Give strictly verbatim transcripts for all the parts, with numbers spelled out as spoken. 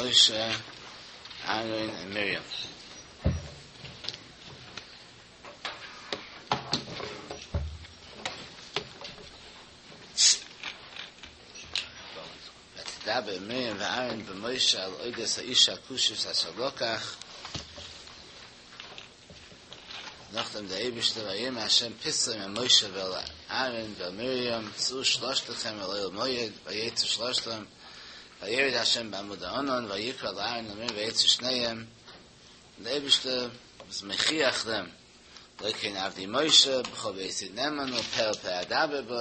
Moshe, Aaron and Miriam. ותדבר מרים ואהרן במשה על אודות האיש הכושית אשר לקח. נאכדעם דער אייבערשטער ויאמר השם פתאום אל משה ואל אהרן ואל מרים צאו שלשתכם אל אוהל מועד ויצאו שלשתם וירד השם בעמוד הענן ויקרא אל אהרן ואל מרים ויצאו שניהם און דער אייבערשטער was מוכיח them לא כן עבדי משה בכל ביתי נאמן הוא פה אל פה אדבר בו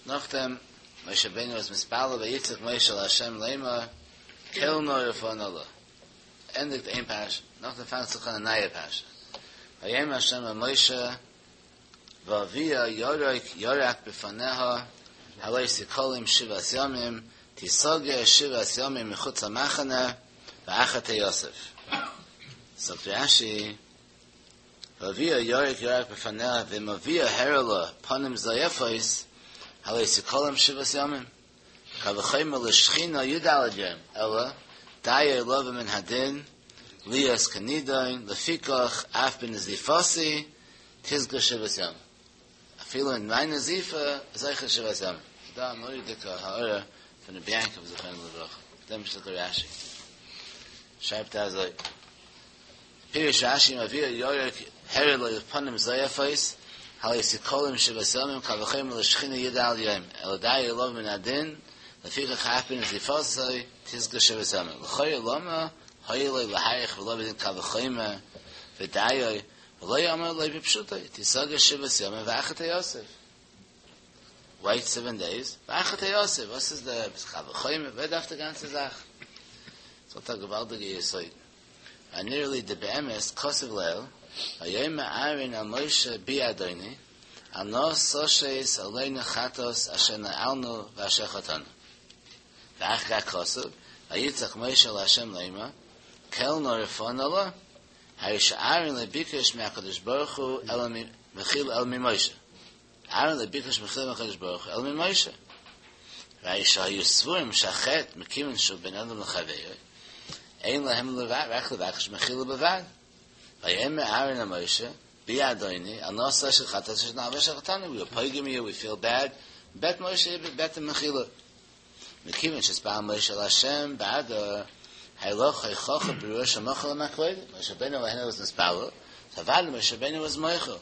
נאכדעם משה רבינו was מתפלל ויצעק משה אל השם לאמר קל נא רפא נא לה ענדיגט איין פרשה, נאכדעם פאנגט זיך אן א נייע פרשה, ויאמר השם אל משה ואביה ירק ירק בפניה הלא תכלם שבעת ימים תסגר שבעת ימים מחוץ למחנה ואחר תאסף. זאגט רשי ואביה ירק ירק בפניה ואם אביה הראה לה פנים זועפות הלא תכלם שבעת ימים קל וחומר לשכינה י"ד יום, אלא דיו לבא מן הדין להיות כנידון, לפיכך אף בנזיפתי תסגר שבעת ימים. אפילו אין מיין נזיפה איז אויך שבעת ימים. דא א מורא'דיגע הערה פון רבי יעקב זכרונו לברכה, דעם שטיקל רשי. שרייבט ער אזוי, פירש רשי אם אביה ירק הראה לה פנים זועפות, הלא תכלם שבעת ימים קל וחומר לשכינה י"ד יום, אלא דיו לבא מן הדין, לפיכך אף בנזיפתו תסגר שבעת ימים. לכאורה למה היה לו להאריך ולהביא דין קל וחומר ודיו ולא אמר לו בפשוטו תסגר שבעת ימים ואחר תאסף. Wait seven days, ואחר תאסף. וואס איז די קל וחומר? ווער דארף די גאנצע זאך? זאגט א געוואלדיגע יסוד. ונראה לי דבאמת כתוב לעיל, ויאמר אהרן אל משה בי אדוני, אל נא תשת עלינו חטאת אשר נעלנו ואשר חטאנו. ואחר כך כתוב, ויצעק משה אל ה' לאמר, קל נא רפא נא לה, הרי שאהרן לא ביקש מהקדוש ברוך הוא אלא מחילה אלא ממשה. אהרן לא ביקש מחילה מהקדוש ברוך הוא אלא ממשה. והרי שהיו סבורים שהחטא מכיוון שהוא בין אדם לחברו, אין להם רק לבקש מחילה בלבד. ויאמר אהרן אל משה, בי אדוני, אל נא תשת חטאת אשר נעלנו ואשר חטאנו. We are פוגם you, we feel bad. בעט משה, בעט מחילה. מכיוון שהתפלל משה אל השם בעדו, הלא הוכחה ברורה שמוחל להם הקודם. משה רבינו was מתפלל, אוודאי משה רבינו was מוחל.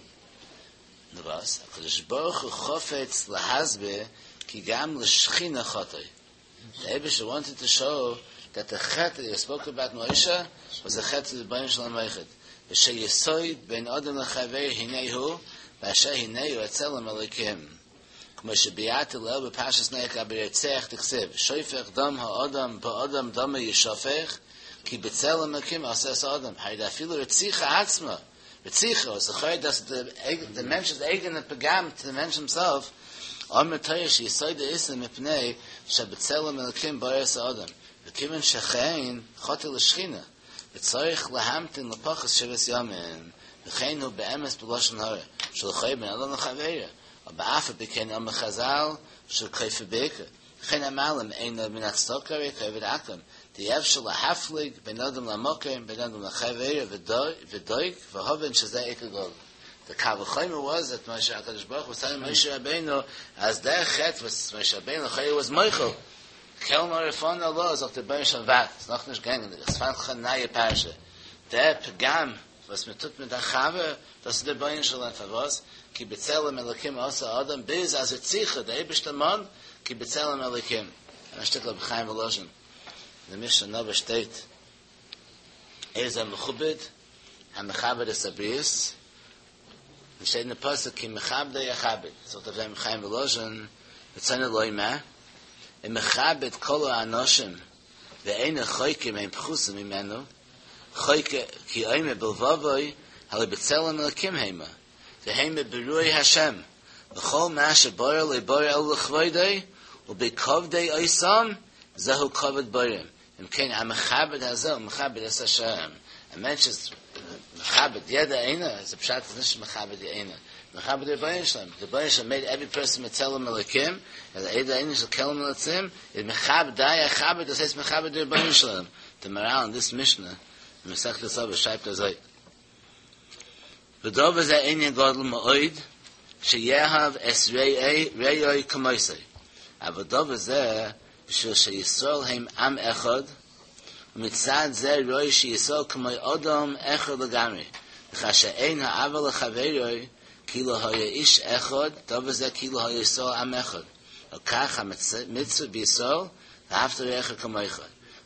נו וואס, הקדוש ברוך הוא חפץ להסביר כי גם לשכינה חטא. The Eibushter wanted to show that the chet that he spoke about Moshe was a chet to the Ribbono Shel Olam Eichid. ושיסוד בין אדם לחבר הנה הוא, באשר הנה הוא הצלם אלוקים. כמו שביארתי לעיל בפרשת נח לגבי רוצח דכתיב, שופך דם האדם באדם דמו ישפך, כי בצלם אלוקים עשה את האדם. הרי אפילו רציחה עצמה, רציחה, was the that the the mensch אייגענע פגם to the mensch himself, אמרה תורה שיסוד האיסור מפני שבצלם אלוקים ברא את האדם. וכיוון שכן חטא לשכינה, וצריך להמתין לפחות שבעת ימים, וכן הוא באמת בלשון הרע, שלכאורה בין אדם לחברו, אבל אף על פי כן אמרו חז"ל, שכופר בעיקר. וכן המעלים אינו מן הצדקה כעובד עכו"ם, דאי אפשר להפליג בין אדם למקום, בין אדם לחברו, ודוק, והבן שזה עיקר גדול. The קל וחומר was that Moshe HaKadosh Baruch was telling Moshe Rabbeinu, as their chet was Moshe Rabbeinu, Chayah was mochel. קל נא רפא נא לה, זאגט דער רבונו של עולם, ווארט, ס'איז נאך נישט געגאנגען, עס פאנגט זיך אן א נייע פרשה. דער פגם וואס מען טוט מיט א חבר, דאס איז דער רבונו של עולם, פארוואס? כי בצלם אלקים עשה אדם, ביז אז רציחה, דער אייבערשטער מאנט, כי בצלם אלקים. א שטיקל רבי חיים וואלאזשין, אין די משנה אין אבות שטייט, איזהו מכובד, המכבד את הבריות, און שטייט אין די פסוק כי מכבדי אכבד, זאגט אויף דעם רבי חיים וואלאזשין, רצונו לומר, אם מכבד כל האנשים ואינו חוקר אם הם פחותים ממנו, חוקר כי אומר בלבבו, הלא בצלם אלקים המה, והמה ברואי השם, וכל מה שברא לא ברא אלא לכבודו, ובכבדו אותם, זהו כבוד בוראם. אם כן, המכבד הזה, הוא מכבד את השם. A mensch is מכבד יעדער איינער, איז דער פשט איז נישט מכבד די איינער, מכבד די רבונו של עולם, די רבונו של עולם made every person בצלם אלוקים, אז יעדער איינער איז כעלם אלוקים, איז מכבד די אכבד, דאס הייסט מכבד די רבונו של עולם. די מהר"ל אין this משנה, אין מסכת אבות שרייבט אזוי. ודבר זה ענין גדול מאוד, שיאהב את רעהו כמותו. אבל דבר זה, בשביל שישראל הם עם אחד, ומצד זה ראוי שישראל כמו אדם אחד לגמרי. וכאשר אין האהבה לחברו, כאילו היה איש אחד, דבר זה כאילו היה ישראל עם אחד. וכך המצווה בישראל, ואהבת לרעך כמוך.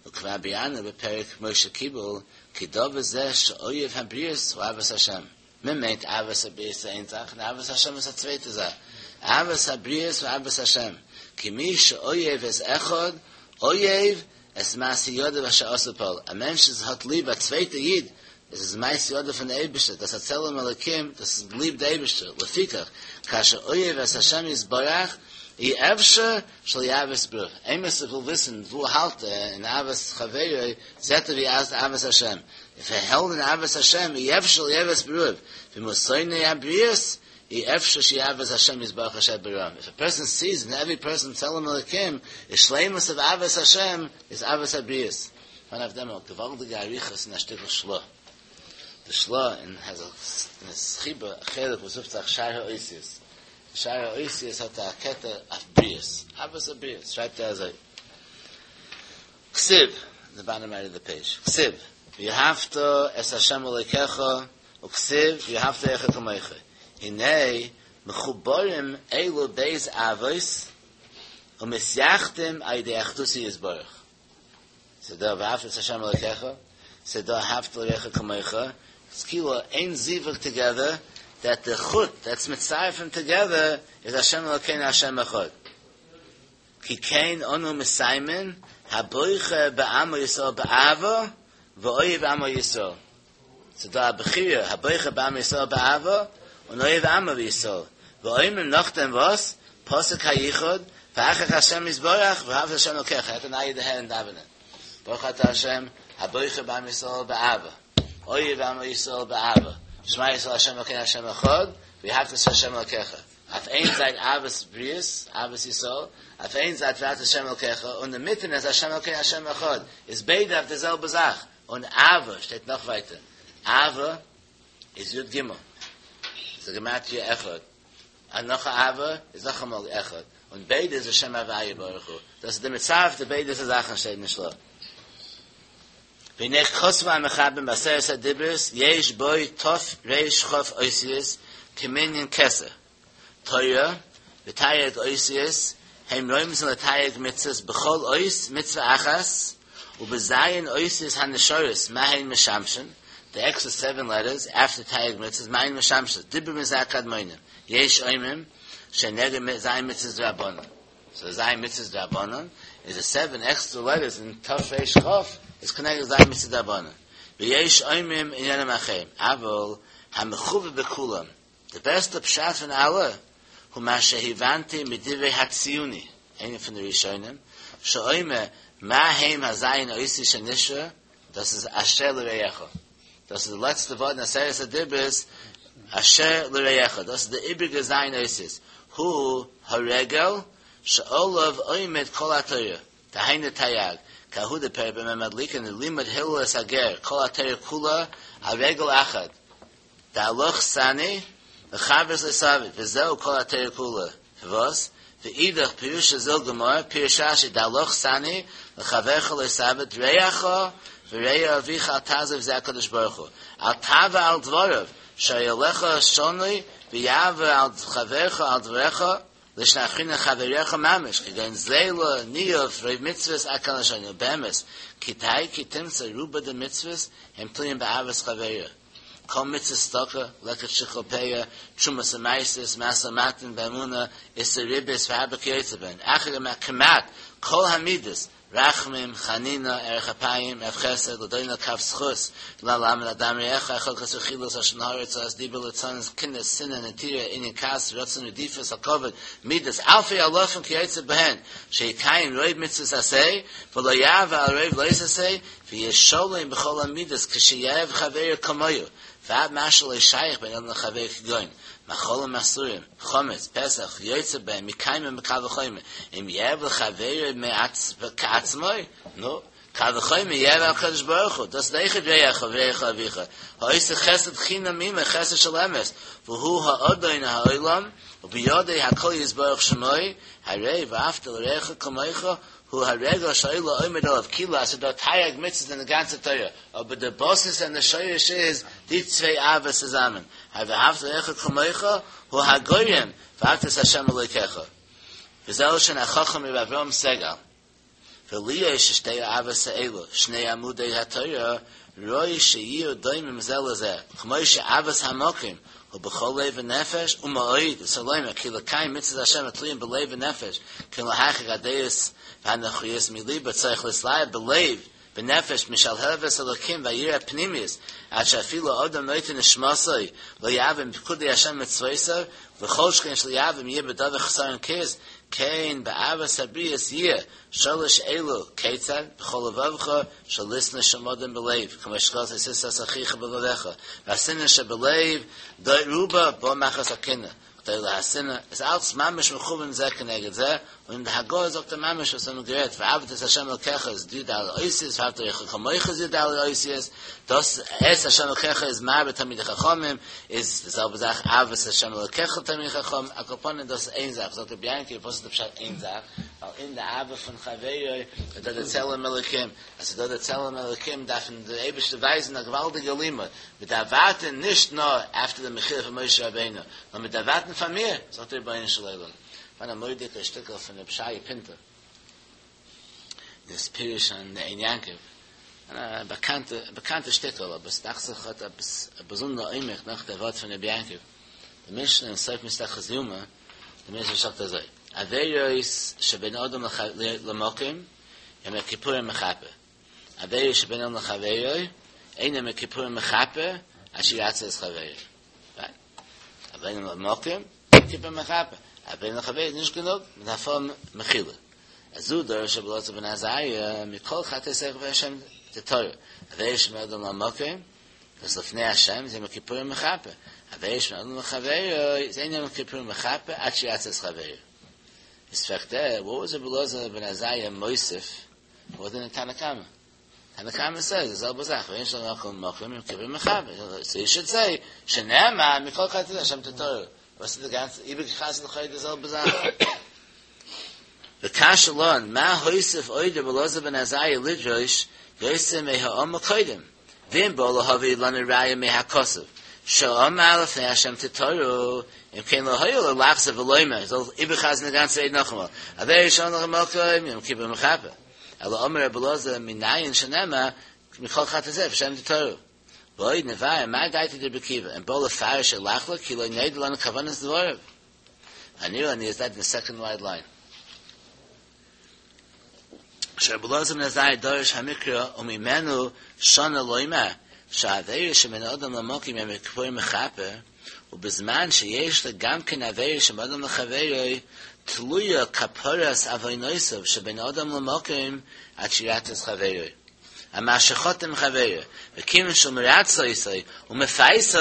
וכבר ביארנו בפרק משה קיבל, כי דבר זה שאוהב הבריות הוא אהבת השם. מען מיינט אהבת הבריות איין זאך, און אהבת השם איז א צווייטע זאך. אהבת הבריות הוא אהבת השם. כי מי שאוהב את אחד, אוהב את מעשה ידיו אשר עשה ופעל. א מענטש וואס האט ליב א צווייטע איד, עס איז מעשה ידיו פון דער אייבערשטער, דאס איז א צלם אלוקים, דאס איז ליב דער אייבערשטער. לפיכך, כאשר אוהב את השם יתברך, אי אפשר שלא יאהב את ברואיו. איינער וויל וויסן וואו האלט ער אין אהבת חברו, זעט ער ווי אז אהבת השם. If ער האלט אין אהבת השם, אי אפשר שלא יאהב את ברואיו. ואם הוא שונא הבריות, אי אפשר שיאהב את השם יתברך אשר בראם. If a person sees in every person צלם אלוקים, is שלימות of אהבת השם, is אהבת הבריות. One of them, א געוואלדיגע אריכות אין א שטיקל של"ה. The של"ה in has a in a חיבור, א חלק וואס רופט זיך שער האותיות. שער האותיות האט א קטע אויף בריות. אהבת הבריות. שרייבט ער אזוי. כתיב, the bottom right of the page. כתיב, ואהבת את השם אלוקיך, וכתיב, ואהבת לרעך כמוך. הנה, מחוברים אלו ב' אהבות, ומתייחדים על ידי אחדותו יתברך. ס'דא ואהבת את השם אלוקיך, ס'דא ואהבת לרעך כמוך, it's כאילו איין זיווג together, that the חוט that's מצרף them together is השם אלוקינו השם אחד. כי כן אנו מסיימין הבוחר בעמו ישראל באהבה ואוהב עמו ישראל. ס'דא א בחירה הבוחר בעמו ישראל באהבה און אוהב עמו ישראל. ואומרים נאכדעם וואס? פסוק היחוד ואחר כך השם יתברך ואהבת השם אלוקיך. האט אן איידער הערן דאווענען. ברוך אתה השם הבוחר בעמו ישראל באהבה. אוהב עמו ישראל באהבה. שמע ישראל השם אלוקינו השם אחד ואהבת את השם אלוקיך. אויף איין זייט אהבת בריות, אהבת ישראל, אויף איין זייט ואהבת השם אלוקיך, און אין מיטן איז השם אלוקינו השם אחד. איז ביידע אויף די זעלבע זאך. און אהבה שטייט נאך ווייטער. אהבה איז יוד גימל. איז א גימטריא אחד. און נאך אהבה איז נאך אמאל אחד. און ביידע איז השם הוויה ברוך הוא. דאס איז די מצרף די ביידע זאכן שטייט אין של"ה. והנה כתבו המחברים בעשרת הדיברות יש בו ת"ר כ' אותיות כמנין כתר תורה ותרי"ג אותיות הם רומזין לתרי"ג מצוות בכל אות מצוה אחת ובז' אותיות הנשארות מה הן משמשין the extra seven letters after תרי"ג מצוות מה הן משמשות דיברו מזה הקדמונים יש אומרים שנגד ז' מצוות דרבנן so ז' מצוות דרבנן is the seven extra letters in ת"ר כ' is connected ז' מצוות דרבנן ויש אומרים עניינים אחרים אבל המחובר בכולם the best פשט פון אלע הוא מה שהבנתי מדברי הציוני איינער פון די ראשונים שאומר מה הם הז' אותיות שנשאר דאס איז אשר לרעך דאס איז די לעצטע ווארט אין עשרת הדיברות אשר לרעך דאס איז די איבריגע ז' אותיות הוא הרגל שעליו עומד כל התורה דהיינו תרי"ג כי ההוא דפרק במה מדליקין לימד הלל את הגר כל התורה כולה על רגל אחת דעלך סני לחברך לא תעביד וזהו כל התורה כולה וואס ואידך פירוש זיל גמור פירש רש"י דעלך סני לחברך לא תעביד רעך ורע אביך אל תעזוב זה הקדוש ברוך הוא אל תעבור על דבריו שהרי עליך שנוי ויעבור על חברך על דבריך לישנא אחרינא חברך ממש כגון גזילה ניאוף רוב מצוות עד כאן לשונו באמת כדאי כי תמצא רובא דמצוות הם תלויים באהבת חברו כל מצוות צדקה, לקט שכחה פאה, תרומות ומעשרות, משא ומתן באמונה, איסור ריבית והרבה כיוצא בהן. אחר כמעט כל המידות, רחמים, חנינה, ארך אפיים, רב חסד, לדון לכף זכות, ללמד אדם רעך, חלקת רכילות, לשון הרע, הוצאת דיבה, ליצנות, קנאה, שנאה, נטירה, ענין כעס, רצון רדיפות, הכבוד, מידות, אלפי אלפים כיוצא בהן, שיקיים רוב מצוות עשה, ולא יעבור על רוב לא תעשה, וישלם בכל המידות, כשיאהב חברו כמוהו. ועד מה שלא שייך בין אדם לחבר כגון, מאכלים אסורים, חמץ, פסח, יוצא בהם, מקיימים בקל וחומר. אם יאהב לחברו כעצמו, נו, קל וחומר יאהב הקדוש ברוך הוא, דאס איז רעך ורעך אביך. העושה חסד חינם עמו, חסד של אמת, והוא האדון העולם, ובידו הכל יתברך שמו, הרי ואהבת לרעך כמוך, הוא הרגל שהעולם עומד עליו, כאילו, אז דא תרי"ג מצוות אין די גאנצע תורה, אבער די באזיס און די שורש איז די צוויי אהבות צוזאמען, ואהבת לרעך כמוך, הוא הגורם, ואהבת את השם אלוקיך. וזה לשון החכם ר' אברהם סגל. ולהיות ששתי האהבות האלו, שני עמודי התורה, ראוי שיהיו דומים זה לזה, כמו שאהבת המקום, הוא בכל לב ונפש, ומאוד, וסלומה, כי לקיים מצוות השם התלויים בלב ונפש, כי להרחיק הדעות והנוחיות מליבו צריך להתלהב בלב ונפש משלהבת אלוקים והיראה הפנימית, עד שאפילו אדם נותן נשמתו לא יעבור מפקודי השם ומצוותיו, וכל שכן שלא יעבור יהיה בדבר חסרון כיס, כן באהבת הבריות יהיה שלש אלו כיצד בכל לבבך שלשנוא שם אדם בלב כמו שכתוב תשנא את אחיך בלבבך והשנאה שבלב רובה באה מחמת הקנאה גדולה השנאה איז אלץ ממש מכוון זה כנגד זה, און אין די הגהה זאגט ער ממש וואס האבן גערעדט ואהבת את ה' אלקיך איז די ד' אותיות ואהבת לרעך כמוך איז די ד' אותיות, דאס את ה' אלקיך איז מרבה תלמידי חכמים, איז די זעלבע זאך אהבת ה' אלקיך תלמידי חכמים, על כל פנים דאס איז איין זאך, זאגט רבי יעקב וואס איז די פשט איין זאך, ווייל אין די אהבה פון חברו איז דא די צלם אלוקים, אז ס'איז דא די צלם אלוקים דארף אים דער אייבערשטער ווייזן א געוואלדיגע לימוד, מ'דארף ווארטען נישט נאר אפטער די מחילה פון משה רבינו, נאר מ'דארף ווארטען פאר מיר, זאגט דער רבונו של עולם. פאראן א מורא'דיגע שטיקל פון רבי שייע פינטו, דאס פירוש אין עין יעקב, א באקאנטע באקאנטע שטיקל, אבער עס דאכט זיך האט עפעס א באזונדער עומק נאך דער ווארט פון רבי יעקב, די משנה אין סוף מסכת יומא, די משנה זאגט אזוי, עבירות שבין אדם למקום, יום הכיפורים מכפר, עבירות שבין אדם לחבירו, אין יום הכיפורים מכפר, עד שירצה את חברו. בין אדם למקום, יום כיפור מכפר. בין אדם לחבירו איז נישט גענוג, מען דארף האבן מחילה. זו דרש רבי אלעזר בן עזריה, מכל חטאתיכם לפני השם תטהרו. עבירות שבין אדם למקום, דאס לפני השם איז יום הכיפורים מכפר. עבירות שבין אדם לחבירו, איז אין יום הכיפורים מכפר, עד שירצה את חברו. איז פרעגט ער, וואט וואס רבי אלעזר בן עזריה מוסיף מאר דען תנא קמא? תנא קמא סעז די זעלבע זאך, בין אדם למקום יום כיפור מכפר, סאו יו שוד סעי, שנאמר מכל חטאתיכם לפני השם תטהרו, וואס איז די גאנצע איבערגעחזרט לכאורה די זעלבע זאך? וקשה לן, מה הוסיף עוד רבי אלעזר בן עזריה לדרוש יותר מהאמור קודם, ואם בא להביא לנו ראיה מהכתוב, שאמר לפני השם תטהרו, אם כן לא היה לו לחזור ולומר, זאל איבערחזרן די גאנצע רייד נאכאמאל, עבירות שבין אדם למקום, יום כיפור מכפר. אלא אמר רבי אלעזר מנין שנאמר מכל חטאתיכם לפני השם תטהרו. ועוד נבאר מאי דעתיה דרבי עקיבא, אם בא לפרש או לחלוק כי לא נודע לנו כוונת דבריו. הנראה לנו איז דעט אין די סעקאנד ווייד ליין. שרבי אלעזר בן עזריה דרש המקרא וממנו שנה לומר שהעבירה שבין אדם למקום יום הכיפורים מכפר ובזמן שיש לו גם כן עבירה שבין אדם לחבירו תלויה כפרת עוונותיו שבין אדם למקום עד שירצה את חברו על מה שחטא עם חברו וכיוון שהוא מרצה אותו ומפייסו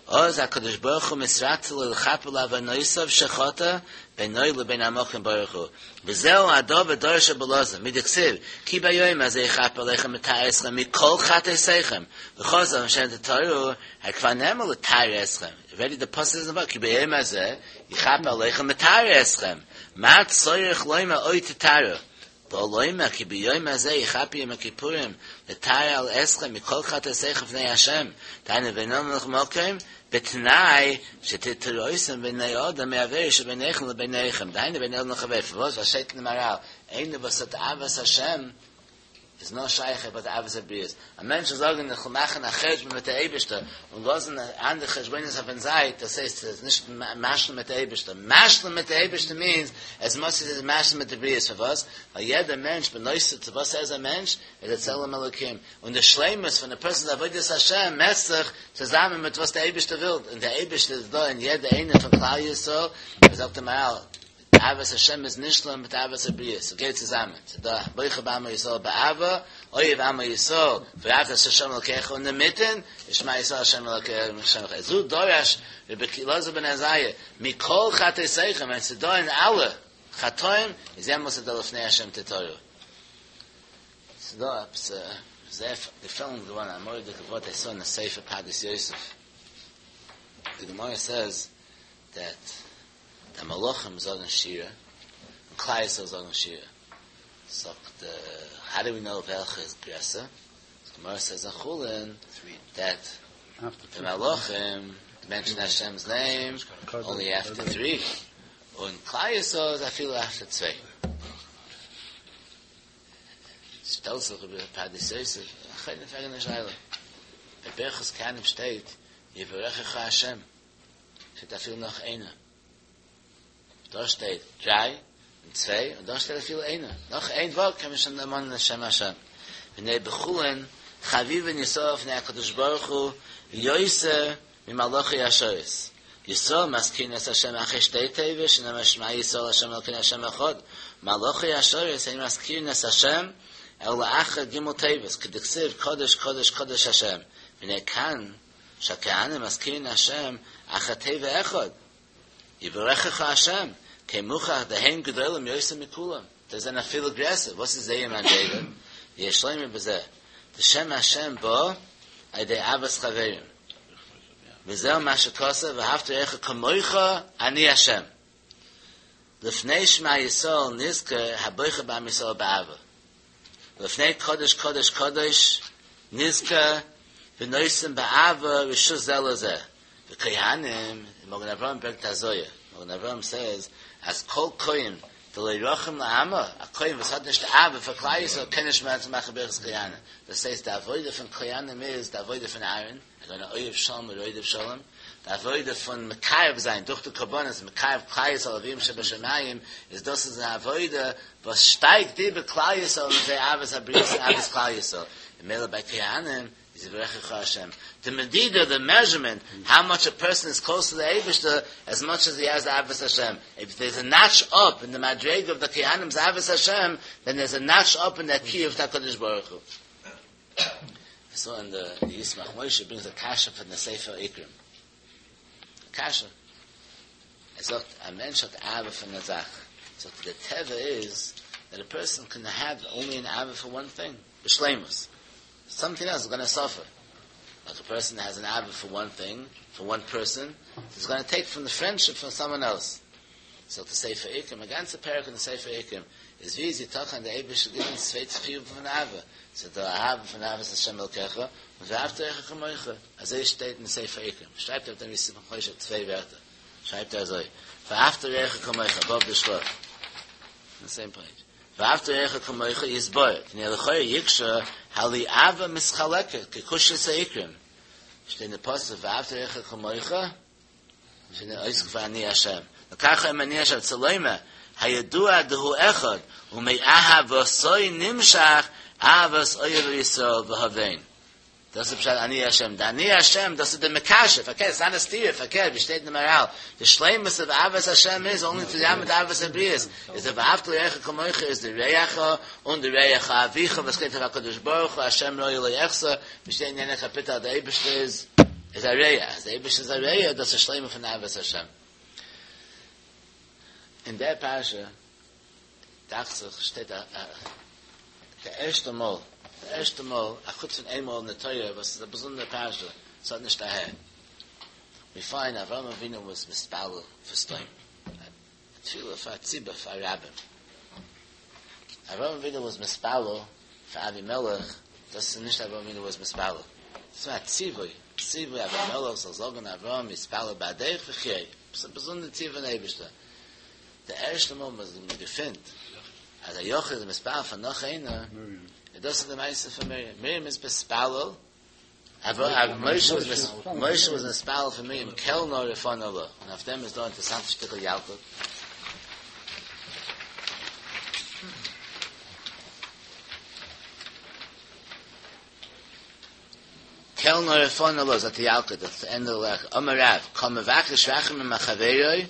אז הקדוש ברוך הוא מתרצה לו לכפר לעוונותיו שחטא בינו לבין המקום ברוך הוא וזהו הדבר דרש רבי אלעזר מדכתיב כי ביום הזה יכפר עליכם לטהר אתכם מכל חטאתיכם וחזר לפני השם תטהרו כבר נאמר לטהר אתכם already the פסוק איז כי ביום הזה יכפר עליכם לטהר אתכם מה צריך לומר עוד תטהרו בא לומר כי ביום הזה יכפר יום הכיפורים לטהר אתכם מכל חטאתיכם לפני השם דהיינו בין אדם למקום בתנאי שתטהרו אותם בני אדם מעבירה שביניכם לביניכם דהיינו בין אדם לחבר פארוואס וואס שטייט אין מהר"ל איינער וואס האט אהבת השם איז נאר שייך ביי די אהבת הבריות. א מענטש זאל זאגן איך וויל מאכן א חשבון מיט דער אייבערשטער און לאזן אנדערע חשבונות אויפן זייט, דאס הייסט עס איז נישט משלים מיט דער אייבערשטער. משלים מיט דער אייבערשטער means as much as עס איז משלים מיט די בריות. פארוואס? ווייל יעדער מענטש בנוסף צו וואס ער איז א מענטש, איז א צלם אלוקים. און די שלימות פון די person's עבודת השם מעסט זיך צוזאמען מיט וואס דער אייבערשטער וויל. און דער אייבערשטער איז דא אין יעדער איינער פון כלל ישראל, זאגט דער מהר"ל, אהבת השם איז נשלם מיט אהבת הבריות, ס'גייט צוזאמען, ס'איז דא בוחר בעמו ישראל באהבה, אוהב עמו ישראל, ואהבת את השם אלוקיך, און אינמיטן, שמע ישראל השם אלוקינו השם אחד. זו דרש רבי אלעזר בן עזריה, מכל חטאותיכם, ווען ס'איז דא אין אלע חטאים, איז יעמאלס איז דא לפני השם תתורו. ס'איז דא עפעס זייער געפעלן געווארן א מורא'דיגע ווארט I saw in the ספר פרדס יוסף. The Gemara says that the מלאכים זאגן שירה, און כלל ישראל זאגן שירה. זאגט, uh, how do we know וועלכע איז גרעסער? The Gemara says in Chulin that the מלאכים mention Hashem's name only after three. און כלל ישראל איז אפילו after צוויי. שטעלט זיך איבער פרדס יוסף, א חידוש פרעגן א שאלה. ביי ברכת כהנים שטייט, יברכך השם. שטייט אפילו נאך איינער. דא שטייט דריי און צוויי, און דא שטייט אפילו איינער. נאך איין ווארט קען מען שוין דערמאנען שם השם. והנה בחולין חביבין ישראל לפני הקדוש ברוך הוא יותר ממלאכי השרת. ישראל מזכירין את השם אחרי שתי תיבות שנאמר שמע ישראל השם אלוקינו השם אחד. מלאכי השרת אין מזכירין את השם אלא אחר ג' תיבות כדכתיב קדוש קדוש קדוש השם. והנה כאן שהכהנים מזכירין השם אחר תיבה אחד. יברכך השם, כן מוכח דהם גדולים יותר מכולם. זיי זענען אפילו גרעסער. וואס איז זייער מדרגה? יש לומר בזה. דשם השם בא על ידי אהבת חברים. וזהו מה שכתוב, ואהבת לרעך כמוך אני השם. לפני שמע ישראל נזכר הבוחר בעם ישראל באהבה. לפני קדוש קדוש קדוש נזכר ונותן באהבה רשות זה לזה. The כהנים, Magen Avraham ברענגט א זוהר. Magen Avraham says, אז כל כהן, דלא רחים לעמא, א כהן וואס האט נישט אהבה פאר כלל ישראל, קען נישט מער מאכן ברכת כהנים. דאס הייסט, די עבודה פון כהנים איז די עבודה פון אהרן, ער איז אוהב שלום ורודף שלום. די עבודה פון מקרב זיין דורך די קרבנות, מקרב כלל ישראל לאביהם שבשמים, איז דאס איז אן עבודה וואס שטייגט איבער כלל ישראל און זיי אהבת הבריות און אהבת כלל ישראל. ממילא ביי כהנים איז יברכך השם. The מדידה, the measurement, how much a person is close to the אייבערשטער, as much as he has אהבת השם. If there's a notch up in the מדרגה of the כהנים's אהבת השם, then there's a notch up in that קירוב to הקדוש ברוך הוא. So in the, the Yismach Moshe brings a קשיא from the ספר עיקרים. קשיא. ער זאגט, א מענטש האט אהבה פון א זאך. So the טבע is that a person can have only an אהבה for one thing, בשלימות. Something else is going to suffer. Like a person has an אהבה for one thing, for one person, he's going to take from the friendship from someone else. So to ספר עיקרים, א גאנצע פרק אין the ספר עיקרים, איז ווי יתכן דער אייבערשטער גיט צוויי חיובים פון אהבה. So די אהבה פון אהבת השם אלקיך, און ואהבת לרעך כמוך. אזוי שטייט אין ספר עיקרים. שרייבט ער דעם ישמח משה צוויי ווערטער. שרייבט ער אזוי. ואהבת לרעך כמוך, above the של"ה. The same page. ואהבת לרעך כמוך יתבאר. דהנה לכאורה יקשה, הלא אהבה מתחלקת, כקושיית העיקרים. שטייט אין די פסוק, ואהבת לרעך כמוך, שטייט אויס ואני השם. לכך אומר אני השם צריך לומר, הידוע דהוא אחד, ומאהבתו נמשך, אהבת אוהב ישראל והבן. דאס איז פשט אני השם. די אני השם, דאס איז דער מקשר. פארקערט, ס'איז א סתירה, פארקערט, ווי שטייט אין מהר"ל. די שלימות of אהבת השם איז only to the אהבת הבריות. איז דער ואהבת לרעך כמוך איז דער רעך און דער רעך אביך, וואס גייט אויף הקדוש ברוך הוא, השם רועי לא אחסר, ווי שטייט אין יענע קאפיטל, דער אייבערשטער איז, איז א רע. דער אייבערשטער איז א רע, דאס איז שלימות פון אהבת השם. אין דער פרשה, דאכט זיך, שטייט א, א, דער ערשטע מאל, דער ערשטע מאל, א חוץ פון איין מאל אין דער תורה, וואס איז א באזונדערע פרשה, עס האט נישט אהער. We find אברהם אבינו was מתפלל for סדום. א תפילה פאר ציבור, פאר רבים. אברהם אבינו was מתפלל for אבימלך, דאס איז נישט אברהם אבינו was מתפלל. דאס איז א ציווי, ציווי אבימלך זאל זאגן אברהם יתפלל בעדך וחיה. דאס איז א באזונדערע ציווי פון אייבערשטער. דער ערשטע מאל וואס מען געפינט, אז א יחיד איז מתפלל פאר נאך איינער, דאס איז די מעשה פון מרים. מרים איז מתפלל, משה was משה was מתפלל פאר מרים קל נא רפא נא לה. און אויף דעם איז דא אן אינטערעסאנטע שטיקל ילקוט. קל נא רפא נא לה, זאגט די ילקוט, that's the end of the lech. אמר רב, כל מבקש רחמים מחבירו,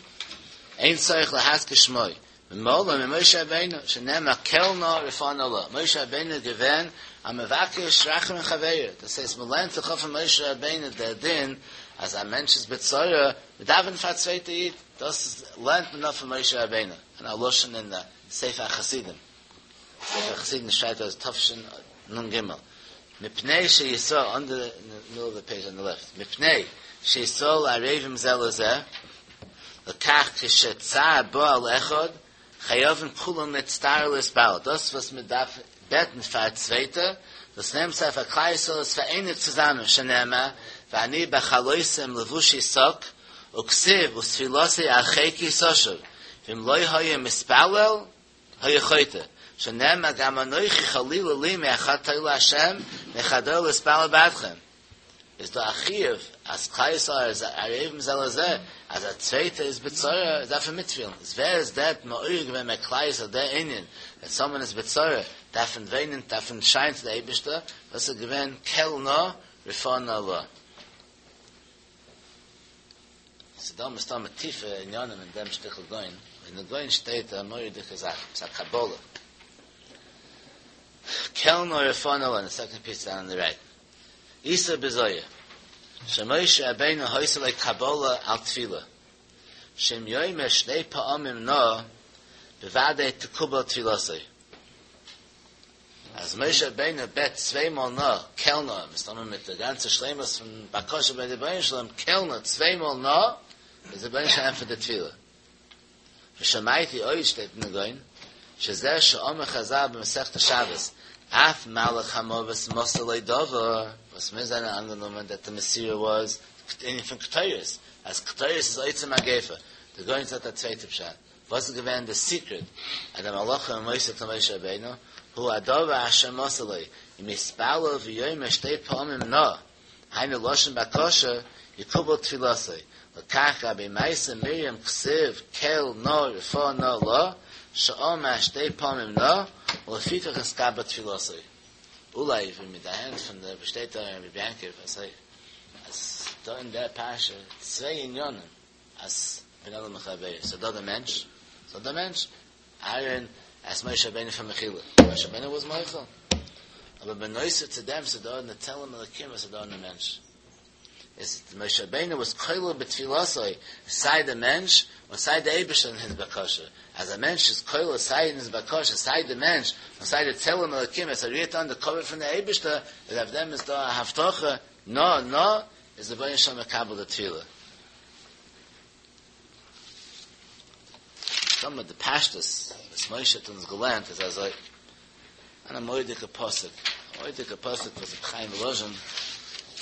אין צריך להזכיר שמו. ממילא ממשה רבינו, שנאמר קל נא רפא נא לה. משה רבינו געווען א מבקש רחמים מחבירו. דאס הייסט, מען לערנט זיך אויף פון משה רבינו דער דין, אז א מענטש איז בצרה, מען דאווענט פאר א צווייטע איד. דאס איז, לערנט מען אויף פון משה רבינו. און א לשון אין די ספר החסידים. ספר החסידים שרייבט אז תשנ"ג. מפני שישראל, on the, in the middle of the page on the left, מפני שישראל ערבים זה לזה, לכך כשצער בא על אחד, חייבים כולם להצטער ולהתפלל. דאס וואס מען דארף בעטן פאר א צווייטע, דאס נעמט זיך פאר כלל ישראל איז פאראייניגט צוזאמען, שנאמר, ואני בחלותם לבושי שק, וכתיב ותפילתי על חיקי תשוב, ואם לא היה מתפלל, היה חוטא, שנאמר גם אנוכי חלילה לי מאחטא להשם, מחדל להתפלל בעדכם. איז דא א חיוב אז כלל ישראל איז ערבים זה לזה, אז א צווייטער איז בצרה, דארף ער מיטפילן. איז ווער איז דער מעורר געווען ביי כלל ישראל דער ענין, that someone איז בצרה, דארף מען וויינען, דארף מען שרייען צו דער אייבערשטער, דאס איז געווען קל נא רפא נא לה. ס'איז דא מסתמא טיפע עניינים אין דעם שטיקל גאון, אין דעם גאון שטייט א מורא'דיגע זאך, ס'איז א קבלה. קל נא רפא נא לה, אין די second piece down on the right. איתא בזוהר, שמשה רבינו היתה לו קבלה על תפילה, שאם יאמר שני פעמים נא, בוודאי תקובל תפילתו. אז משה רבינו בעט צוויי מאל נא, קל נא, מסתמא מיט די גאנצע שלימות פון בקשה ביי די רבונו של עולם, קל נא, צוויי מאל נא, איז דער רבונו של עולם ענטפערט די תפילה. ושמעתי עוד שטייט אין גאון, שזה שאמרו חז"ל במסכת שבת, אף מלאך המוות מסר לו דבר, וואס מיר זענען אנגענומען that the מסירה was ענין פון קטורת, אז קטורת איז עוצר מגיפה. דער גאון זאגט א צווייטע פשט. וואס איז געווען די secret אז די מלאכים מוסר צו משה רבינו הוא הדבר אשר מסר לו אם יתפלל ויאמר שתי פעמים נא היינו לשון בקשה יקובל תפילתו לכך גבי מעשה מרים כתיב קל נא רפא נא לה שאמר שתי פעמים נא ולפיכך נתקבלה תפילתו אולי ווי מיט די הענט פון דער באשטייט דא אין רבי יעקב אז אז דא אין דער פרשה צוויי עניינים אז בין אדם לחברו ס'איז דא דער מענטש ס'איז דער מענטש אהרן asked משה רבינו פאר מחילה משה רבינו was מוחל אבער בנוסף צו דעם ס'איז דא אין די צלם אלקים וואס איז דא אין דער מענטש איז משה רבינו was כולל בתפילתו סיי דער מענטש און סיי דער אייבערשטער אין his בקשה אז א מענטש איז כולל סיי אין his בקשה סיי דער מענטש און סיי דער צלם אלקים עס רירט אן דער כבוד פון דער אייבערשטער איז אויף דעם איז דא א הבטחה נא נא איז דער רבונו של עולם מקבל די תפילה סאמע די פשטות וואס משה האט אונז געלערנט איז אזוי אן א מורא'דיגע פסוק א מורא'דיגע פסוק וואס רבי חיים וואלאזשין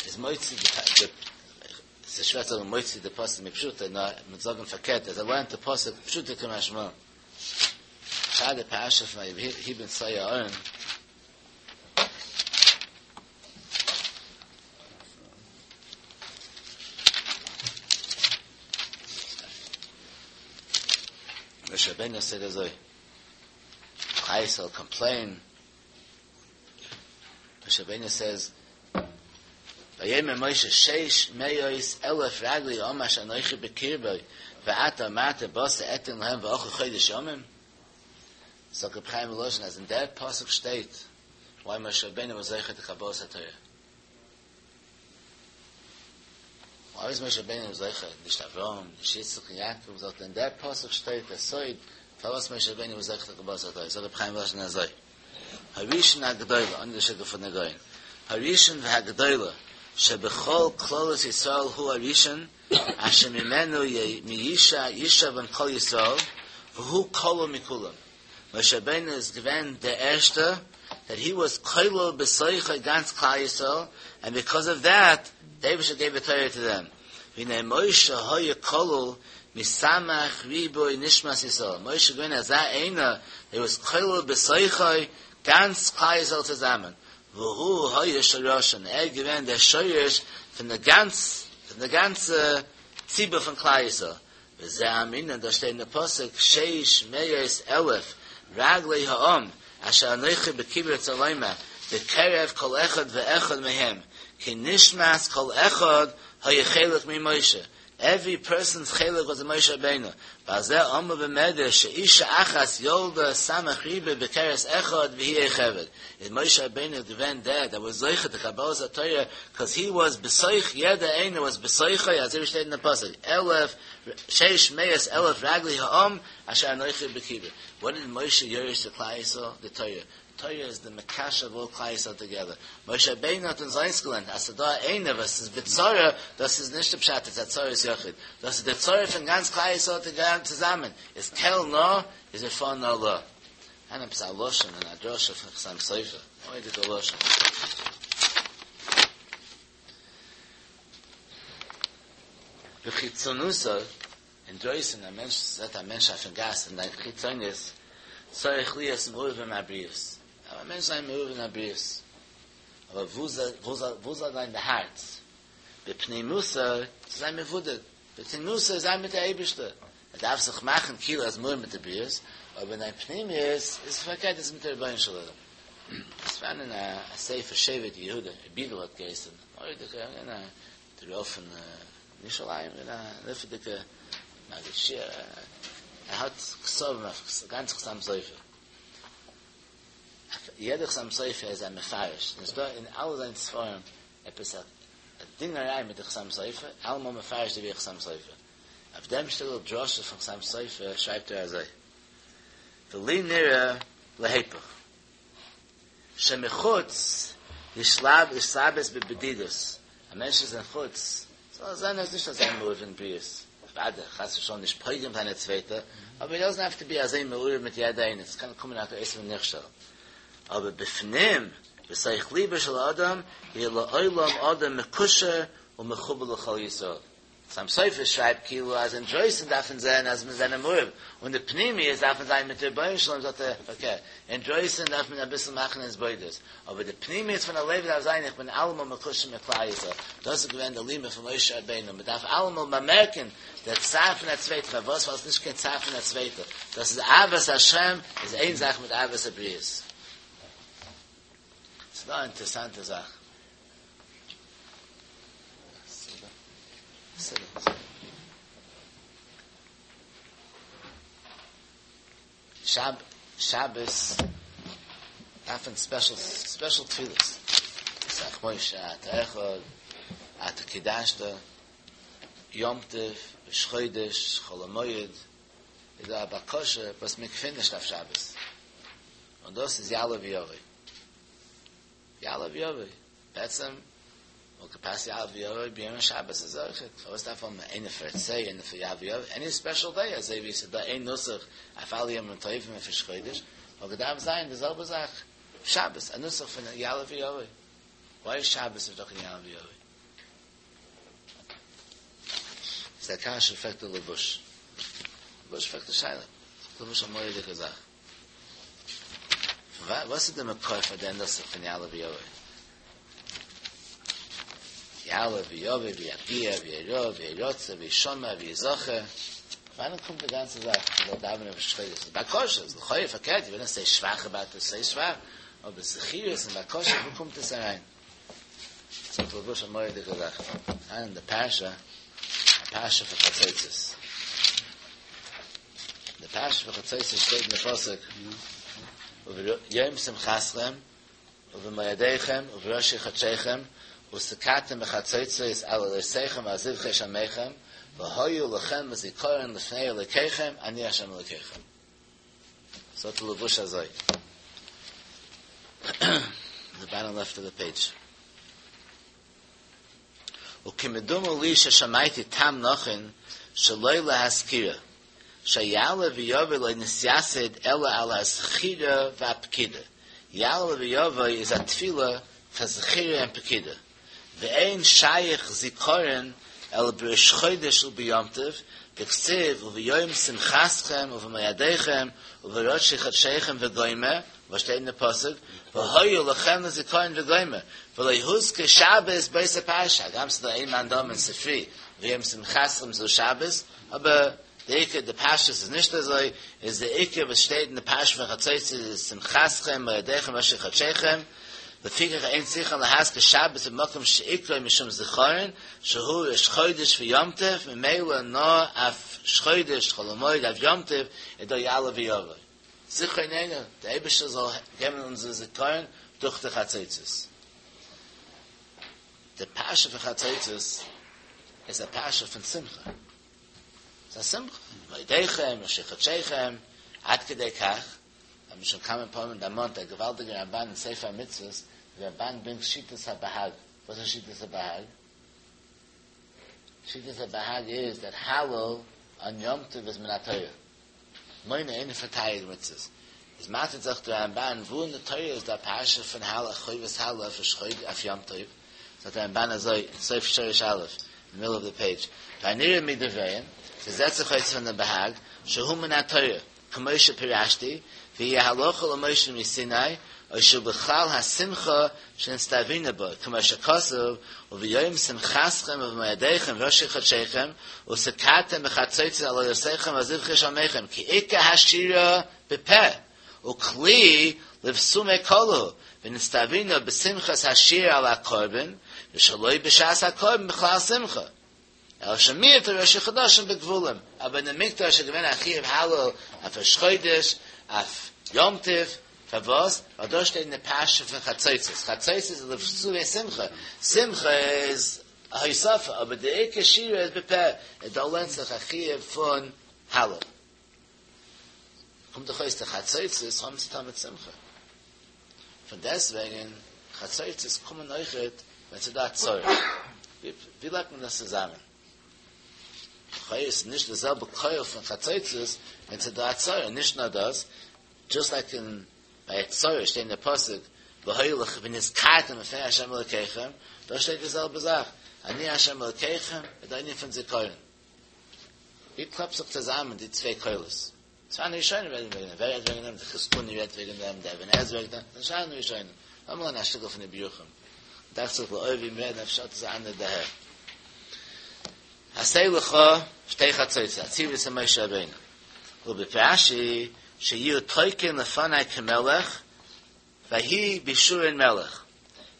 איז מוציא די ס'איז שווער צו זאגן מוציא די פסוק מפשוטו נאר מ'וועט זאגן פארקערט אז ער לערנט די פסוק פשוטו כמשמעו פאר די פרשה פון ויהי בנסוע הארון משה רבינו said אזוי כלל ישראל complain משה רבינו says ויאמר משה שש מאות אלף רגלי העם אשר אנוכי בקרבו ואתה אמרת בשר אתן להם ואכלו חודש ימים זאגט רבי חיים וואלאזשין אז אין דער פסוק שטייט why משה רבינו was זוכה to קבלת התורה Why is משה רבינו זוכה נישט אברהם נישט יצחק און יעקב זאגט אין דער פסוק שטייט דער סוד פארוואס משה רבינו was זוכה to קבלת התורה זאגט רבי חיים וואלאזשין אזוי הראשון הגדולה און די שיטה פון דער גאון הראשון והגדולה שבכל כללות ישראל הוא הראשון אשר ממנו מישע ישאבון כל ישראל והוא כלול מכולם משה רבינו איז געווען דער ערשטער that he was כולל בתוכו גאנץ כלל ישראל and because of that the אייבערשטער gave the Torah to them והנה משה היה כלול מסמך ריבוי נשמת ישראל משה געווען אזא איינער he was כולל בתוכו גאנץ כלל ישראל צוזאמען, והוא היה שורשן, ער איז געווען דער שורש פון די גאנץ פון די גאנצע ציבור פון כלל ישראל, וזה אמרינן, דאס שטייט אין די פסוק שש מאות אלף רגלי העם אשר אנכי בקברי רוצה לומר בקרב כל אחד ואחד מהם כי נשמת כל אחד היה חלק ממשה, עווערי פערסאנס חלק וואס משה רבינו, ועל זה אמרו במדרש שאישה אחת ילדה סמך ריבוא בכרס אחד והיא יוכבד, איז משה רבינו געווען דער דעט וואס זוכה די קבלת התורה קאז הי וואס בתוך יעדער איינער וואס בתוכו אזוי ווי שטייט אין די פסוק אלף שש מאות אלף רגלי העם אשר אנכי בקברי, וואט דיד משה יורש צו כלל ישראל? די תורה, תורה איז די מקשר אוו אלל כלל ישראל טוגעדער. משה רבינו האט אונז אויסגעלערנט אז ס'דא איינער וואס איז בצרה, דאס איז נישט די פשט איז א צרת יחיד, דאס איז די צרה פון גאנץ כלל ישראל צוזאמען, איז קל נא איז ורפא נא לה. אן עפעס א לשון אין א דרשה פון חתם סופר, מורא'דיגע לשון. בחיצוניותו, אינדרויסן, א מענטש זעט א מענטש אויפן גאס אין דיין חיצוניות, צריך להיות מעורב עם הבריות, דארף א מענטש זיין מעורב אין הבריות, אבער וואו זאל זיין די הארץ? בפנימותו צו זיין מבודד, בפנימותו זיין מיט די אייבערשטער, ער דארף זיך מאכן כאילו ער איז מעורב מיט די בריות, אבער אין דיין פנימיות איז פארקערט איז מיט די רבונו של עולם. עס פארהאן אין א ספר שבט יהודה, ר' יודל האט געהייסען, מורא'דיגע, דער רב פון ירושלים און א נפלא'דיגע מגיד שיעור, ער האט כתבים אויף גאנץ חתם סופר, אויף יעדע חתם סופר איז ער מפרש, און עס איז דא אין אלע זיינע ספרים עפעס א דינגעריי מיט די חתם סופר, אלעמאל מפרש די חתם סופר, אויף דעם שטיקל דרשה פון חתם סופר שרייבט ער אזוי, ולי נראה להיפך, שמחוץ יתלבש בבדידות, א מענטש איז אין חוץ, זאל זיין ער איז נישט אזוי מעורב אין בריות, אוודאי חס ושלום נישט פוגם זיין א צווייטער, אבער הי דאזענט האוו טו בי אזוי מעורב מיט יעדער איינער, עס קען קומען א טעות ונכשל, אבער בפנים, בתוך ליבו של אדם, יהיה לעולם אדם מקושר ומחובר לכל ישראל. חתם סופר שרייבט כאילו אז אינדרויסן דארף מען זען אז מיר זענען מעורב, און די פנימיות דארף מען זיין מיט רבונו של עולם זאגט ער פארקערט, אינדרויסן דארף מען אביסל מאכן התבודדות, אבער די פנימיות פון א לב דארף זיין איך בין אלעמאל מקושר מיט כלל ישראל, דאס איז געווען די לימוד פון משה רבינו, מען דארף אלעמאל באמערקן דער צער פון א צווייטער, פארוואס ווייל עס איז נישט קיין צער פון א צווייטער, דאס איז אהבת השם איז איין זאך מיט אהבת הבריות. ס'איז דא א אינטערעסאנטע זאך. שב שבת דארף מען ספעשל ספעשל תפילות ישמח משה אתה אחד אתה קידשת יום טוב ראש חודש חול המועד איז דא א בקשה וואס מען געפינט נישט אויף שבת און דאס איז יעלה ויבוא יעלה ויבוא, בעצם וואלט געפאסט יעלה ויבוא ביום השבת איז אויכעט, פארוואס דארף מען איינער פאר רצה איינער פאר יעלה ויבוא, עני ספעשל דעי, אזוי ווי ס'איז דא איין נוסח אויף אלע ימים טובים אויף ראש חודש, וואלט געדארפט זיין די זעלבע זאך שבת, א נוסח פון יעלה ויבוא, וויי איז שבת נישט דא קיין יעלה ויבוא? איז א קשיא פרעגט דער לבוש, לבוש פרעגט די שאלה, לבוש א מורא'דיגע זאך. וואס איז די מקור פאר דעם נוסח פון יעלה ויבוא? יעלה ויבוא ויביע וירא וירצה וישמע ויזכר וואנען קומט די גאנצע זאך מ'זאל דאווענען ראש חודש איז בקשה איז לכאורה פארקערט ווען עס איז שוואך אבאוט איט ס'איז שוואך אבער זכירות און בקשה וואו קומט עס אריין? זאגט לבוש א מורא'דיגע זאך אין די פרשה א פרשה פון חצוצרות די פרשה פון חצוצרות שטייט אין די פסוק וביום שמחתכם ובמועדיכם ובראשי חדשיכם ותקעתם בחצוצרות על עולותיכם ועל זבחי שלמיכם והיו לכם לזכרון לפני אלוקיכם אני השם אלוקיכם. זאגט די לבוש אזוי. די באטאם לעפט אוו די פעידזש. וכמדומה לי ששמעתי טעם נכון שלא להזכירה, שיעלה ויבוא לא נתייסד אלא על הזכירה והפקידה, יעלה ויבוא איז א תפילה פאר זכירה און פקידה, ואין שייך זיכרון אלא בראש חודש וביום טוב, דכתיב וביום שמחתכם ובמועדיכם ובראשי חדשיכם וגומר, וואס שטייט אין די פסוק, והיו לכם לזכרון וגומר, ולא הוזכר שבת באותה פרשה, הגם ס'איז דא איין מאן דאמר אין ספרי וביום שמחתכם זו שבת, אבער די עיקר די פשטות איז נישט אזוי, איז די עיקר וואס שטייט אין די פרשה פון חצוצרות איז שמחתכם מועדיכם ראשי חדשיכם, לפיכך אין צריכין להזכיר שבת במקום שעיקרו משום זכרון שהוא ראש חודש ויום טוב, ממילא נאר אויף ראש חודש חול המועד אויף יום טוב איז דא יעלה ויבוא. זכרוננו, דער אייבערשטער זאל געבן אונזער זכרון דורך די חצוצרות. די פרשה פון חצוצרות איז א פרשה פון שמחה. ס'איז א שמחה, מועדיכם, ראשי חדשיכם, עד כדי כך, האבן שוין כמה פעמים דערמאנט א געוואלדיגע רמבן אין ספר המצוות, די רמבן ברענגט שיטת הבהג, וואס איז שיטת הבהג? שיטת הבהג איז דעט הלל אן יום טוב איז מן התורה, מונה איינע פון תריג מצוות, איז מאטערט זיך די רמבן וואו אין די תורה איז דא א פרשה פון הלל חובת הלל אויף ראש חודש אויף יום טוב, זאגט די רמבן אזוי אין סוף שורש א', אין די מידל אוו די פעידזש, והנראה מדבריהם, ס'זעט זיך אויס פון די בהג, שהוא מן התורה, כמו שפירשתי, והיא הלכה למשה מסיני, או שהוא בכלל השמחה שנצטווינו בה, כמו שכתוב, וביום שמחתכם ובמועדיכם וראשי חדשיכם, ותקעתם בחצוצרות על עולותיכם ועל זבחי שלמיכם, כי עיקר השירה בפה, וכלי לבסומי קלא הוא, ונצטווינו בשמחת השיר על הקרבן, ושלא בשעת הקרבן בכלל שמחה. אלא שמיעט ראשי חדשים בגבולים, אבער אין די מקדש איז געווען א חיוב הלל אויף ראש חודש, אויף יום טוב, פארוואס? ווייל דאס שטייט אין די פרשה פון חצוצרות, חצוצרות איז לבסומי שמחה, שמחה איז א הוספה, אבער די עיקר שירה איז בפה, און דא לערנט זיך א חיוב פון הלל. קומט דאך אויס די חצוצרות האבן צו טון מיט שמחה, פון דעסטוועגן חצוצרות קומען אויכעט ווען ס'איז דא א צרה. ווי לייגט מען דאס צוזאמען? לכאו' איז נישט די זעלבע כח פון חצוצרות ווען ס'איז דא א צרה, נישט נאר דאס, דזשאסט לייק אין ביי א צרה שטייט אין די פסוק והיה לכם ונזכרתם לפני ה' אלוקיכם, דא שטייט די זעלבע זאך, אני ה' אלוקיכם, איז די ענין פון זיכרון. ווי קלאפט זיך צוזאמען די צוויי קולות? ס'איז ראשונים רעדן וועגן דעם, ווער רעדט וועגן דעם? די חזקוני רעדט וועגן דעם, דער אבן עזרא רעדט וועגן דעם, ס'איז ראשונים. לאמיר לערנען א שטיקל פון רבי ירוחם. דאכט זיך לאור ווי מ'רעדט אפשר האט עס א אנדערע דערהער. עשה לך שתי חצוצרות, א ציווי צו משה רבינו. ובפירש רש"י שיהיו תוקעין לפני כמלך, ויהי בישורון מלך.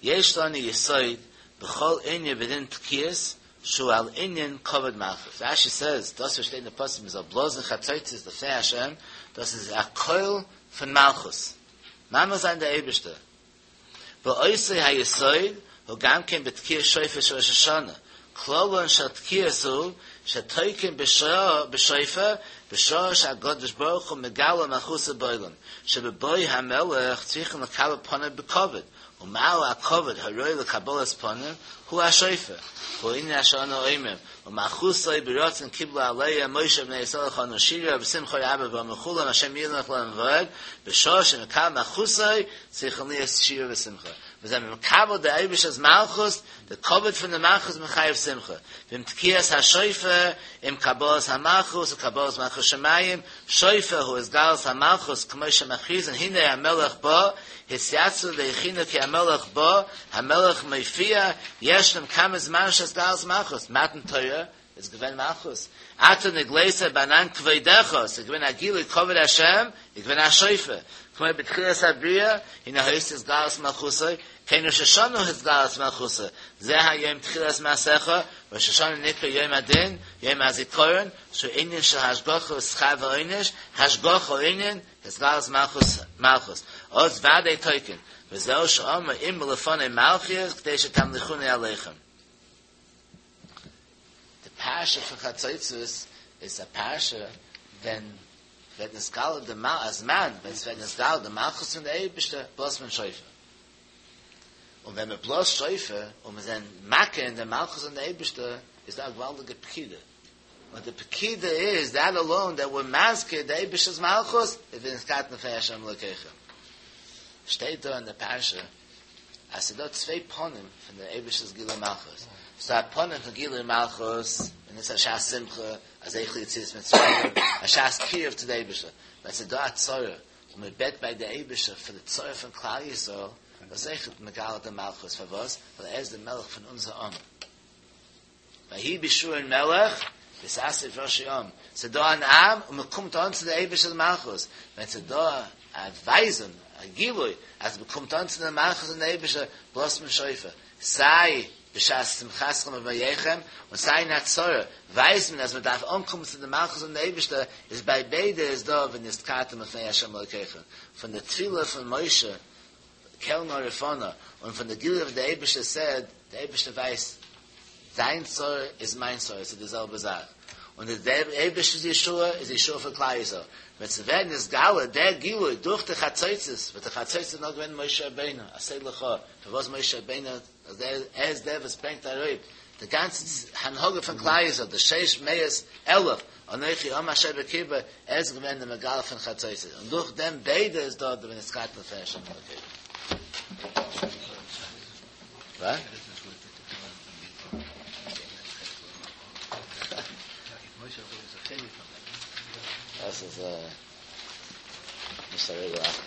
יש לנו יסוד בכל ענין בדין תקיעות שהוא על ענין כבוד מלכות. רש"י סעז, דאס וואס שטייט אין די פסוק מען זאל בלאזן חצוצרות לפני השם, דאס איז א קול פון מלכות, ממליך זיין די אייבערשטער. ואותו היסוד הוא גם כן בתקיעת שופר של ראש השנה, כללן של תקיעות הוא שתוקעין בשופר בשעה שהקדוש ברוך הוא מגלה מלכותו בעולם, שבבוא המלך צריכין לקבל פניו בכבוד, ומהו הכבוד הראוי לקבלת פנים? הוא השופר, והוא ענין אשר אנו אומרים, ומלכותו ברצון קיבלו עליהם משה ובני ישראל חנו שירה בשמחה רבה ואמרו כולם השם ימלוך לעולם ועד, בשעה שמקבל מלכותו צריכין להיות שירה ושמחה. מיר זענען מקבל די אייבערשטער'ס מלכות, די כבוד פון די מלכות מחייב שמחה, ועם תקיעת השופר, עם קבלת המלכות וקבלת מלכות שמים, שופר הוא התגלות המלכות כמו שמכריזין הנה המלך בא, התייצבו והכינו כי המלך בא, המלך מופיע, ישנם כמה זמנים של התגלות מלכות, מתן תורה איז געווען מלכות, אתה נגלית בענן כבודך, ס'איז געווען א גילוי כבוד השם, איז געווען א שופר, כמו בתחילת הבריאה, הנה היתה התגלות מלכותו, כן ראש השנה הוא התגלות מלכותו, זה היום תחילת מעשיך, ראש השנה נקרא יום הדין, יום הזיכרון, שהוא ענין של השגחה ושכר ועונש, השגחה ענין, התגלות מלכות מלכות, אז ודאי תוקעין, וזהו שאמר אמרו לפני מלכיות כדי שתמליכוני עליכם. די פרשה פון חצוצרות איז א פרשה ווען ווערט נתגלה די מל א זמן ווען ס'ווערט נתגלה די מלכות פון די אייבערשטער בלאזט מען שופר און ווען מען בלאזט שופר און מיר זענען מכיר אין די מלכות פון די אייבערשטער איז דא א געוואלדיגע פקידה און די פקידה איז דעט אלאון דעט וויר מזכיר די אייבערשטער'ס מלכות איז ונזכרתם לפני השם אלוקיכם שטייט דא אין די פרשה אז ס'איז דא צוויי פנים פון דער אייבערשטער'ס גילוי מלכות, ס'דא א פנים פון גילוי מלכות, און עס איז א שעת שמחה, א זכר ליציאת מצרים, א שעת קירוב צו די אייבערשטער. ווען ס'איז דא א צרה, און מען בעט ביי די אייבערשטער פאר די צרה פון כלל ישראל, דאס אויכעט מגלה די מלכות, פארוואס? ווייל ער איז די מלך פון אונזער עם. ויהי בישורון מלך, בהתאסף ראשי עם. ס'איז דא אן עם, און מען קומט אן צו די אייבערשטער'ס מלכות. ווען ס'איז דא א ווייזונג, א גילוי, אז מען קומט אן צו די מלכות פון די אייבערשטער, בלאזט מען שופר. סיי בשעת שמחתכם ובמועיכם, און סיי אין א צרה, ווייזט מען אז מען דארף אנקומען צו די מלכות פון די אייבערשטער, איז ביי ביידע איז דא ונזכרתם לפני ה' אלוקיכם. פון די תפילה פון משה, קל נא רפא נא, און פון די גילוי וואס די אייבערשטער סעד, די אייבערשטער ווייסט, דיין צרה איז מיין צרה, ס'איז די זעלבע זאך, און די אייבערשטער'ס ישועה איז ישועה פאר כלל ישראל, ווען ס'ווערט נתגלה דער גילוי דורך די חצוצרות, וואס די חצוצרות איז נאר געווען משה רבינו, עשה לך, פארוואס משה רבינו, אז ער איז דער וואס ברענגט אראפ די גאנצע הנהגה פון כלל ישראל, די שש מאות אלף אנכי העם אשר בקרבו, ער איז געווען דער מגלה פון חצוצרות, און דורך דעם ביידע איז דא די ונזכרתם לפני השם אלוקיכם. וואס? דאס איז נישט א רגל אחת.